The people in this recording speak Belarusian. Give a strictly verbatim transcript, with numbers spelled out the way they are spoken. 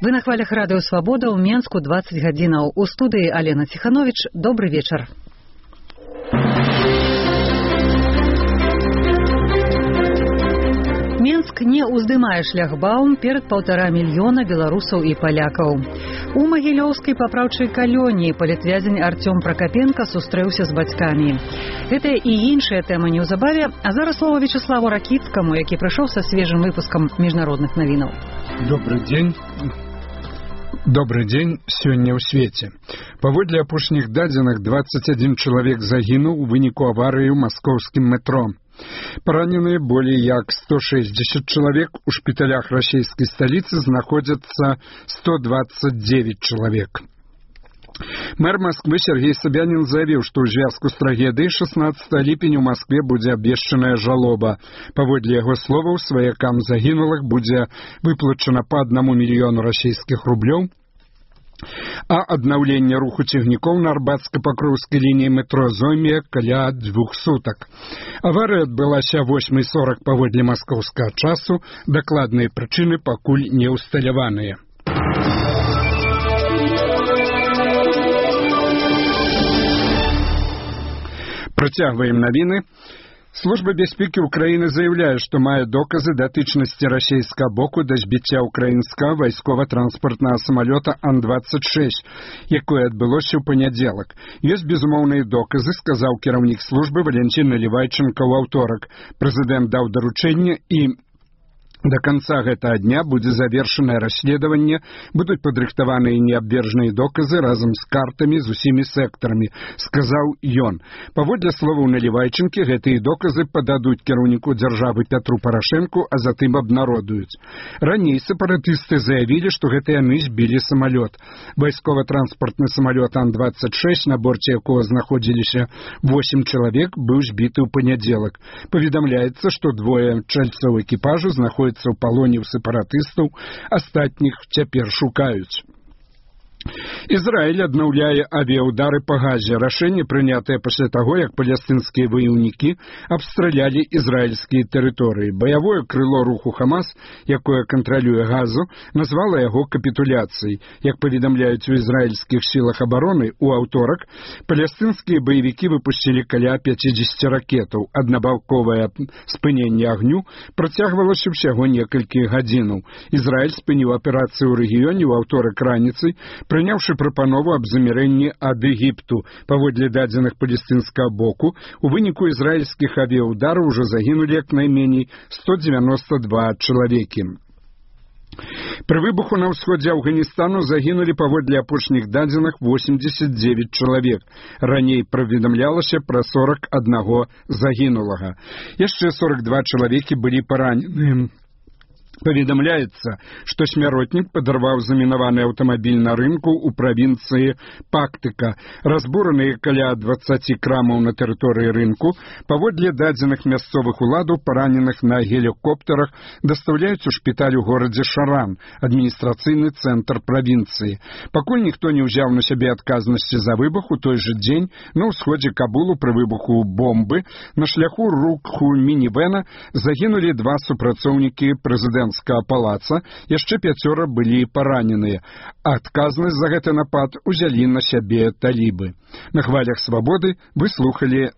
Вы на хвалях радыё Свабода ў Менску дваццаць гадзінаў. У студыі Алена Ціхановіч. Добры вечар. Менск не ўздымае шляхбаум перад паўтара мільёна беларусаў і палякаў. У магілёўскай папраўчай калоніі палітвязень Артём Пракапенка сустрэўся з бацькамі. Гэта і іншая тэма неўзабаве, а зараз слова Вячеславу Ракіцкаму, які прыйшоў са свежым выпускам міжнародных навінаў. Добрый дзень. Добрый дзень сёння ў свеце. Паводле апошніх дадзеных дваццаць адзін чалавек загінуў у выніку аварыі ў маскоўскім метро. Параненыя болей як сто шэсцьдзесят чалавек, у шпіталях расійскай сталіцы знаходзяцца сто дваццаць девять чалавек. Мэр Москвы Сергей Собянин заявіў, што ў звязку з трагедыяй шаснаццатага ліпеня ў Москве будзе абвешчаная жалоба. Паводле яго словаў, сваякам загінулых будзе выплачана па аднаму мільёну расійскіх рублёў, а аднаўленне руху цягнікоў на арбатска-пакроўскай лініі метро зойме каля двух сутак. Аварыя адбылася восьмай сорак паводле маскоўскага часу, дакладныя прычыны пакуль не ўсталяваныя. Працягваем навіны. Служба бяспекі ўкраіны заяўляе, што мае доказы датычнасці расійскага боку да збіцця ўкраінскага вайскова-транспартнага самалёта Ан дваццаць шэсць, якое адбылося ў панядзелак. Ёсць безумоўныя доказы, сказаў кіраўнік службы Валентин Наливайченко ў аўторак. Прэзідэнт даў даручэнне і до конца гэтага дня будзе завершанае расследаванне, будуць падрыхтаваныя неабвержныя доказы разам з картамі з усімі сектарамі, сказаў ён. Паводле словаў Наливайченкі, гэтыя доказы пададуць кіраўніку дзяржавы Пятру Парашэнку, а затым абнародуюць. Раней сепаратысты заявілі, што гэта яны збілі самалёт. Вайскова-транспартны самалёт Ан дваццаць шэсць, на борце якога знаходзіліся восем чалавек, быў збіты ў панядзелак. Паведамляецца, што двое чальцоў экіпажу знаходзяцца у палоне ў сепаратыстаў, астатніх цяпер шукаюць. Ізраіль аднаўляе авіяўдары па Газе. Рашэнне прынятае пасля таго, як палестынскія ваяўнікі абстралялі ізраільскія тэрыторыі. Баявое крыло руху Хамас, якое кантралюе Газу, назвала яго капітуляцыяй. Як паведамляюць у ізраільскіх сілах абароны, у аўторак палестынскія баевікі выпусцілі каля пяцьдзесят ракетаў. Аднабаковае спыненне агню працягвалася ўсяго некалькі гадзінаў. Ізраіль спыніў аперацыю ў рэгіёне ў аўторак раніцай, прыняўшы прапанову аб замірэнні ад Егіпту. Паводле дадзеных палестынскага боку, у выніку ізраільскіх авіяўдараў ужо загінулі як найменей сто дзевяносто два чалавекі. Пры выбуху на ўсходзе Афганістану загінулі паводле апошніх дадзеных восемьдесят девять чалавек. Раней паведамлялася пра сорок аднаго загінулага. Яшчэ сорок два чалавекі былі паранены. Паведамляецца, што смяротнік падарваў замінаваны аўтамабіль на рынку ў правінцыі Пактыка. Разбураныя каля дваццаць крамаў на тэрыторыі рынку. Паводле дадзеных мясцовых уладаў параненых на гелікоптарах дастаўляюць у шпіталь у горадзе Шаран, адміністрацыйны цэнтр правінцыі. Пакуль ніхто не ўзяў на сябе адказнасці за выбух, у той жа дзень на ўсходзе Кабулу пры выбуху бомбы на шляху руху мінівэна загінулі два супрацоўнікі прэзідэнта палаца, яшчэ пяцёра былі параненыя. Адказнасць за гэты напад узялі на сябе талібы. На хвалях Свабоды вы слухалі